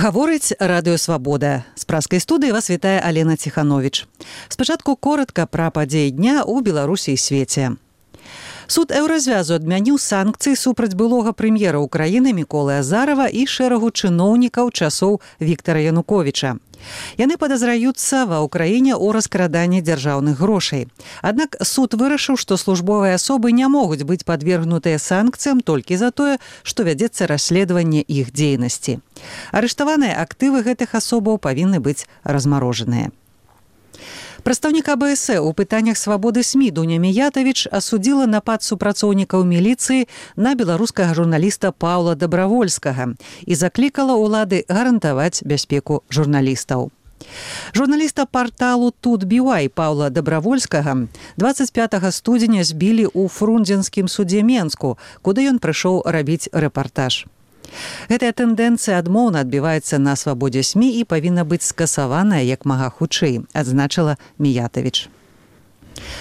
Гаворыць радыё «Свабода». З праскай студыі вас вітае Алена Ціхановіч. Спачатку коротка пра падзеі дня ў Беларусі і свеце. Суд Еўразвязу адмяніў санкцыі супраць былога прэм'ера ўкраіны Міколы Азарова і шэрагу чыноўнікаў часоў Віктара Януковіча. Яны падазраюцца ва ўкраіне ў раскраданні дзяржаўных грошай. Аднак суд вырашыў, што службовыя асобы не могуць быць падвергнутыя санкцыям толькі за тое, што вядзецца расследаванне іх дзейнасці. Арыштаваныя актывы гэтых асобаў павінны быць размарожаныя. Прадстаўнік АБС у пытаннях свабоды СМІ Дуня Міятавіч асудзіла напад супрацоўнікаў міліцыі на беларускага журналіста Паўла Дабравольскага і заклікала ўлады гарантаваць бяспеку журналістаў. Журналіста парталу Тут.BY Паўла Дабравольскага 25 студзеня збілі ў Фрунзенскім судзе Менску, куды ён прыйшоў рабіць рэпартаж. Гэтая тэндэнцыя адмоўна адбіваецца на свабодзе СМІ і павінна быць скасаваная як мага хутчэй, адзначыла Міятавіч.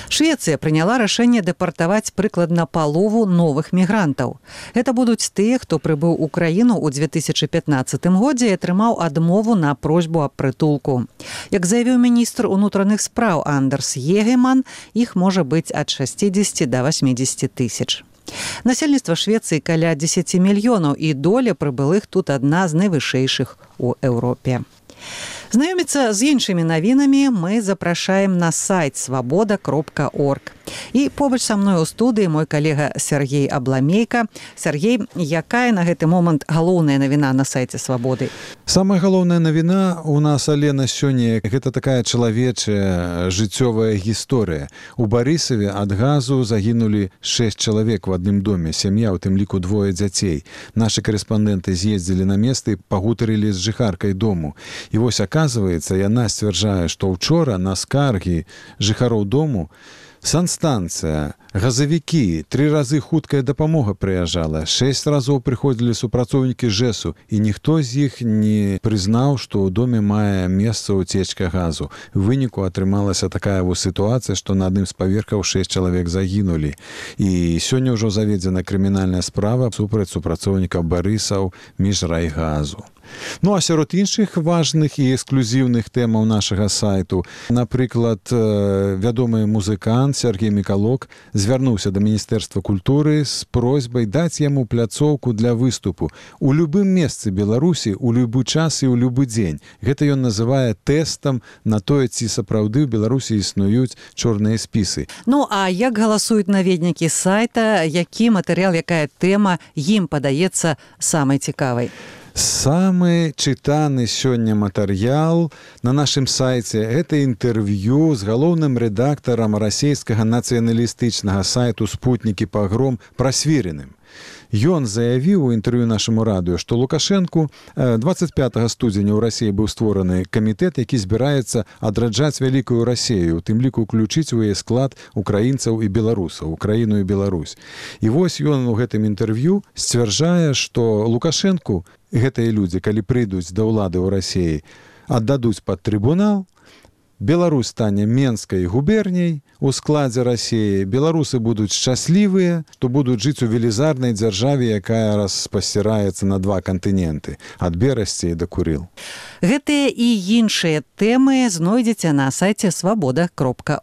Швецыя прыняла рашэнне дэпартаваць прыкладна палову новых мігрантаў. Гэта будуць тыя, хто прыбыў у краіну ў 2015 годзе і атрымаў адмову на просьбу аб прытулку. Як заявіў міністр унутраных спраў Андерс Егеман, іх можа быць ад 60 да 80 тысяч. Насельніцтва Швецыі каля 10 мільёнаў і доля прыбылых тут адна з найвышэйшых у Еўропе. Знаёміцца з іншымі навінамі мы запрашаем на сайт свабода.орг. І побач са мной у студыі мой калега Сергей Абламейка. Сергей, якая на гэты момант галоўная навіна на сайце «Свабоды»? Самая галоўная навіна у нас, Алена, сёння гэта такая чалавечая жыццёвая гісторыя. У Барысаве ад газу загінулі 6 чалавек в адным доме, сям'я, у тым ліку 2 дзяцей. Нашы карэспандэнты з'ездзілі на места і пагутарылі з жыхаркай дому. І вось, оказывается, яна сцвярджае, што ўчора на скаргі жыхароў дому санстанцыя, газавікі, 3 разы хуткая дапамога прыязджала, 6 разоў прыходзілі супрацоўнікі ЖЭСу, і ніхто з іх не прызнаў, што ў доме мае месца ўцечка газу. У выніку атрымалася такая вось сітуацыя, што на адным з паверхаў 6 чалавек загінулі. І сёння ўжо заведзена крымінальная справа супраць супрацоўнікаў Барысаў міжрайгазу. Ну, а сярод іншых важных і эксклюзіўных тэмаў нашага сайту, напрыклад, вядомы музыкант Сергей Мікалок звярнуўся да Міністэрства культуры з просьбай даць яму пляцоўку для выступу у любым месцы Беларусі, у любы час і ў любы дзень. Гэта ён называе тэстам на тое, ці сапраўды ў Беларусі існуюць чорныя спісы. Ну, а як галасуюць наведнікі сайта, які матэрыял, якая тэма ім падаецца самай цікавай? Самы чытаны сёння матэрыял на нашым сайце – гэта інтэрв'ю з галоўным рэдактарам расійскага нацыяналістычнага сайту «Спутнікі пагром» Прасвіриным. Ён заявіў у інтэрв'ю нашаму радыё, што Лукашэнку 25 студзеня ў Расіі быў створаны камітэт, які збіраецца адраджаць вялікую Расію, у тым ліку ўключыць у яе склад украінцаў і беларусаў, Украіну і Беларусь. І вось ён у гэтым інтэрв'ю сцвярджае, што Лукашэнку гэтыя людзі, калі прыйдуць да ўлады ў Расіі, аддадуць пад трыбунал, Беларусь стане Менскай губерняй у складзе Расіі, беларусы будуць шчаслівыя, што будуць жыць у велізарнай дзяржаве, якая распасціраецца на 2 кантыненты, ад Берасці да Курыл. Гэтыя і іншыя тэмы знойдзеце на сайце свабода.орг.